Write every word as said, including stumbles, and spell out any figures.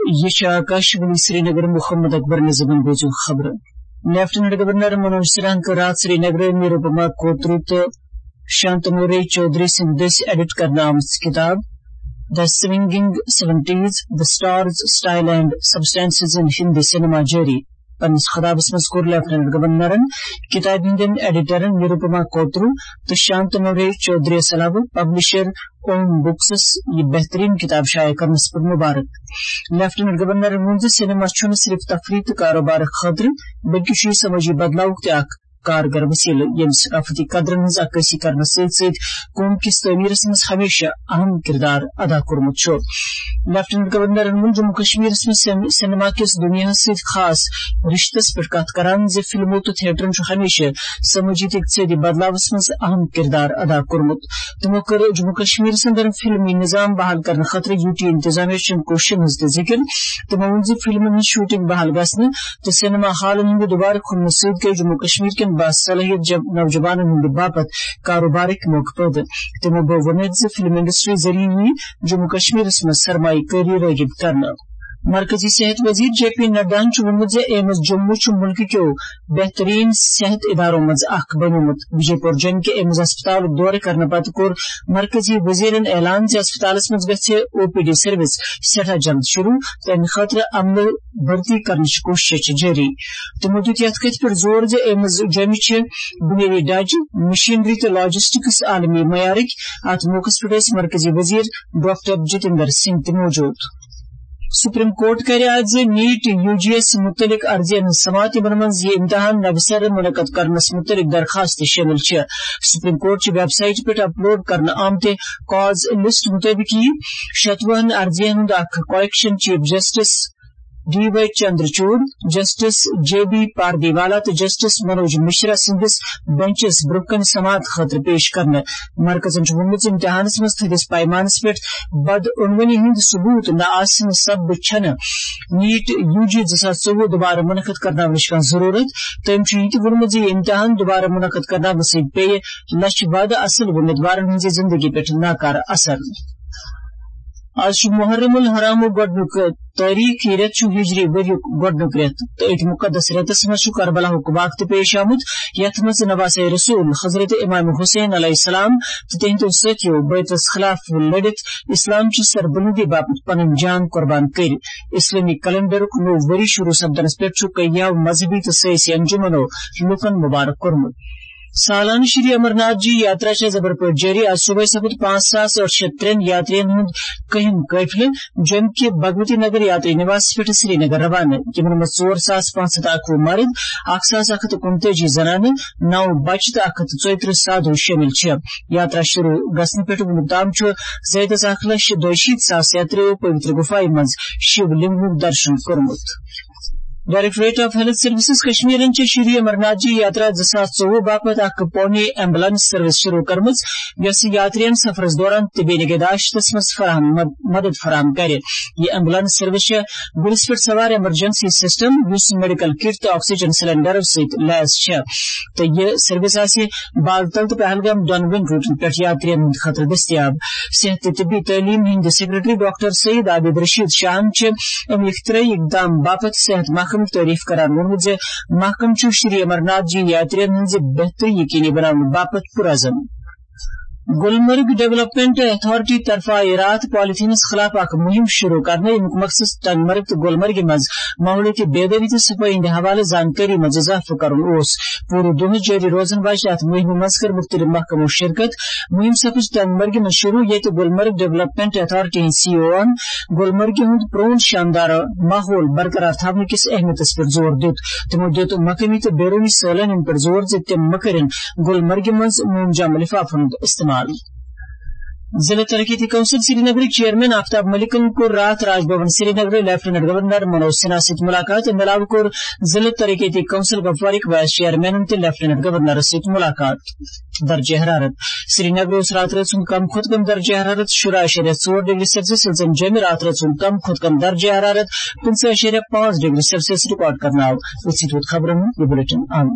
یہ چھِ آکاشوانی سرینگر۔ محمد اکبر نظمن بوزِو خبرٕ۔ لیفٹیننٹ گورنر منوج سنہاہن کٔر راتھ سرینگرٕ نروپما کوترو تہٕ شانتنو رے چودھری سٕنٛدِ دٔسۍ ایڈٹ کرنہٕ آمٕژ کتاب The Swinging Seventies: The Stars, Style and Substances in Hindi Cinema جٲری۔ پننِس خطابس منٛز کوٚر لیفٹیننٹ گورنرن کتابہِ ہٕنٛدٮ۪ن ایڈیٹرن نروپما کوترو تہٕ شانتنو رے چودھری علاوٕ پبلشر اوم بکسس یہِ بہترین کتاب شایع کرنس پٮ۪ٹھ مبارک۔ لیفٹیننٹ گورنرن ووٚن زِ سینما چھُنہٕ صرف تفریح تہٕ کاروبارٕ خٲطرٕ، بلکہِ چھُ یہِ سمٲجی بدلاوُک تہِ اکھ کارگر وسیلہٕ، ییٚمہِ ثقافتی قدرن ہٕنٛز عکٲسی کرنس سۭتۍ سۭتۍ قوم کِس تعمیرس منٛز ہمیشہ اہم کردار ادا کوٚرمُت چھُ۔ لیفٹیننٹ گورنرن ووٚن جموں کشمیرس منٛز سین-، سینما کِس دُنیاہس سۭتۍ خاص رشتس پٮ۪ٹھ کتھ کران زِ فلمو تہٕ تھیٹرن چھُ ہمیشہ سمٲجی تہٕ اقتصٲدی بدلاوس منٛز اہم کردار ادا کوٚرمُت۔ تِمو کٔر جموں کشمیرس اندر فلمی نظام بحال کرنہٕ خٲطرٕ یوٗ ٹی انتظامیہ چٮ۪ن کوٗششن ہٕنٛز تہِ ذِکِر۔ تِمو ووٚن زِ فلمن ہٕنٛز شوٹنگ بحال گژھنہٕ تہٕ سینما ہالن ہٕنٛدِ دوبارٕ کھُلنہٕ سۭتۍ گٔے جموں کشمیر کٮ۪ن باصلٲحیت جم-، نوجوانن ہٕنٛدِ باپتھ کاروبارٕکۍ موقعہٕ پٲدٕ۔ تِمو گوٚو وۄمید زِ فلم انڈسٹری ذٔریعہٕ یِیہِ جموں کشمیرس منٛز سرمایہ کٲری رٲغب کرنہٕ۔ مرکزی صحت وزیر جے پی نڈاہن چھُ ووٚنمُت زِ ایمز جموں چھُ مُلکہٕ کیو بہترین صحت ادارو منٛز اکھ بنیومُت۔ وجے پور جوٚمہِ کہِ ایمز ہسپتالُک دورٕ کرنہٕ پتہٕ کوٚر مرکزی وزیرن اعلان زِ ہسپتالس منٛز گژھِ او پی ڈی سروس سٮ۪ٹھاہ جلد شروع، تَمہِ خٲطرٕ عملہٕ بھرتی کرنٕچ کوٗشش چھِ جٲری۔ تِمو دیُت یَتھ کَتھِ پٮ۪ٹھ زور زِ ایمز جوٚمہِ چھِ بُنیٲدی ڈھانچہٕ، مشینری تہٕ لاجسٹکس عالمی معیارٕکۍ۔ اَتھ موقعس پٮ۪ٹھ ٲسۍ مرکزی وزیر ڈاکٹر جتیندر سنگھ تہِ موجود۔ سپریم کورٹ کَرِ آز نیٹ یو جی یَس مُتعلق عرضی ہٕنٛز سماعت، یِمن منٛز یہِ امتحان نوِ سرٕ منعقد کرنس مُتعلق درخواست تہِ شٲمِل چھِ۔ سپریم کورٹ چہِ ویب سائٹہِ پٮ۪ٹھ اپلوڈ کرنہٕ آمتہِ کاز لسٹ مُطٲبِق یِیہِ شتوُہن عرضین ہُنٛد اکھ collection chief justice D Y Chandrachud, justice J B Pardiwala تہٕ جسٹس منوج مشرا سٕنٛدِس بنچس برٛونٛہہ کنہِ سماعت خٲطرٕ پیش کرنہٕ۔ مرکزن چھُ ووٚنمُت زِ امتحانس منٛز تھٔدِس پیمانس پٮ۪ٹھ بدعنوانی ہٕنٛدۍ ثبوت نہٕ آسنہٕ سببہٕ چھنہٕ نیٹ یو جی زٕ ساس ژوٚوُہ دوبارٕ منعقد کرناونٕچ کانٛہہ ضروٗرت۔ تٔمۍ چھُ یہِ تہِ ووٚنمُت زِ یہِ امتحان دوبارٕ منعقد کرناونہٕ سۭتۍ پیٚیہِ لچھِ وادٕ اصل وۄمیدوارن ہٕنٛزِ زندگی پٮ۪ٹھ ناکارٕ اثر۔ آز چھُ محرم الحرامُک گۄڈٕنیُک تٲریخ۔ یہِ رٮ۪تھ چھُ ہجری ؤریُک گۄڈٕنیُک رٮ۪تھ تہٕ أتھۍ مُقدس رٮ۪تس منٛز چھُ کربلاہُک واقعہٕ تہِ پیش آمُت، یتھ منٛز نواسہ رسول حضرت امام حسین علیہ السلام تہٕ تِہنٛدیو سٲتھیو بیتس خلاف لڑِتھ اسلام چہِ سربلندی باپتھ پنٕنۍ جان قربان کٔرۍ۔ اسلٲمی کیلنڈرُک نوٚو ؤری شروع سپدنس پٮ۪ٹھ چھُ کینٛہو مذہبی تہٕ سیٲسی انجمنو لوٗکن مبارک کوٚرمُت۔ سالانہٕ شری امرناتھ جی یاترا چھےٚ زبر پٲٹھۍ جٲری۔ آز صبحٲے سپُد پانٛژھ ساس ٲٹھ شیٚتھ ترٛٮ۪ن یاترین ہُنٛد کٔہِم قٲفلہٕ جوٚمہِ کہِ بھگوتی نگر یاتری نواس پٮ۪ٹھ سرینگر روانہٕ، یِمن منٛز ژور ساس پانٛژھ ہتھ اکوُہ مرد، اکھ ساس اکھ ہتھ تہٕ کُنتٲجی زنانہٕ، نو بچہٕ تہٕ اکھ ہتھ تہٕ ژۄیترٕہ سادھو شٲمِل چھِ۔ یاترا شروع گژھنہٕ پٮ۪ٹھ وُنیُک تام چھُ زیادٕ از اکھ لچھ دۄیہِ شیٖتھ ساس یاتریو پویتر گُفایہِ منٛز شِو لنگُک درشن کوٚرمُت۔ ڈائریکٹوریٹ آف ہیلتھ سروسز کشمیرن چھِ شری امرناتھ جی یاترا زٕ ساس ژوٚوُہ باپتھ اکھ پونی ایمبولینس سروس شروع کٔرمٕژ، یۄس یاترین سفرس دوران طبی نگہداشتس منٛز فراہم مد-، مدد فراہم کرِ۔ یہِ ایمبولینس سروس چھےٚ گُرِس پٮ۪ٹھ سوار ایمرجنسی سسٹم، یُس میڈیکل کٹ تہٕ آکسیجن سلنڈرو سۭتۍ لیس چھےٚ، تہٕ یہِ سروس آسہِ بالتل تہٕ پہلگام دۄنوٕنی روٹن پٮ۪ٹھ یاترین ہٕنٛدِ خٲطرٕ دٔستیاب۔ صحت تہٕ طبی تعلیٖم ہٕنٛدۍ سیکرٹری ڈاکٹر سعید عابد رشید شاہن چھِ اَمہِ اختراعی اقدام باپتھ صحت محکمٕچ تعریف کران ووٚنمُت زِ محکمہٕ چھُ شری امرناتھ جی یاترین ہٕنٛزِ بہتری یقینی بناونہٕ باپتھ پُرعزم۔ گلمرگ ڈیولپمنٹ اتھارٹی طرفہٕ آیہِ راتھ پالیتھینس خلاف اکھ مہم شروع کرنہٕ، ییٚمیُک مقصد ٹنگ مرگ تہٕ گلمرگہِ منٛز ماحولیٲتی بیدٲری تہٕ صفٲیی ہٕنٛدِ حوالہٕ زانکٲری منٛز اضافہٕ کرُن اوس۔ پوٗرٕ دۄہس جٲری روزن واجہِ اتھ مہمہِ منٛز کٔر مُختٔلِف محکمو شرکت۔ مہم سپٕز ٹنگ مرگہِ منٛز شروع، ییٚتہِ گلمرگ ڈیولپمنٹ اتھارٹی ہٕنٛدۍ سی او ہن گلمرگہِ ہُنٛد پرون شاندار ماحول برقرار تھاونہٕ کِس اہمیتس پٮ۪ٹھ زور دیُت۔ تِمو دیُت مقٲمی تہٕ بیرونی سٲلٲنین پٮ۪ٹھ زور زِ تِم مہ کٔرِن گلمرگہِ منٛز مومجام لفافن ہُنٛد استعمال۔ ضلع ترقیتی کونسل سرینگرٕکۍ چیئرمین آفتاب ملکن کوٚر راتھ راج بھون سرینگرٕ لیفٹیننٹ گورنر منوج سنہا سۭتۍ ملاقات۔ امہِ علاوٕ کوٚر ضلع ترقیتی کونسل کپوارٕکۍ وائس چیئرمینن تہِ لیفٹیننٹ گورنرس سۭتۍ ملاقات۔ درجہ حرارت۔ سرینگر اوس راتہٕ رٲژ ہُنٛد کم کھۄتہٕ کم درجہ حرارت شُراہ اعشاریہ ژور ڈگری سیلسیس، ییٚلہِ زن جوٚمہِ راتہٕ رٲژ ہُنٛد کم کھۄتہٕ کم درجہ حرارت پٕنٛژٕہ اعشاریہ پانٛژھ ڈگری سیلسیس ریکارڈ کرنہٕ آو۔ أتھۍ سۭتۍ ووت خبرن ہُنٛد یہِ بلیٹن اند۔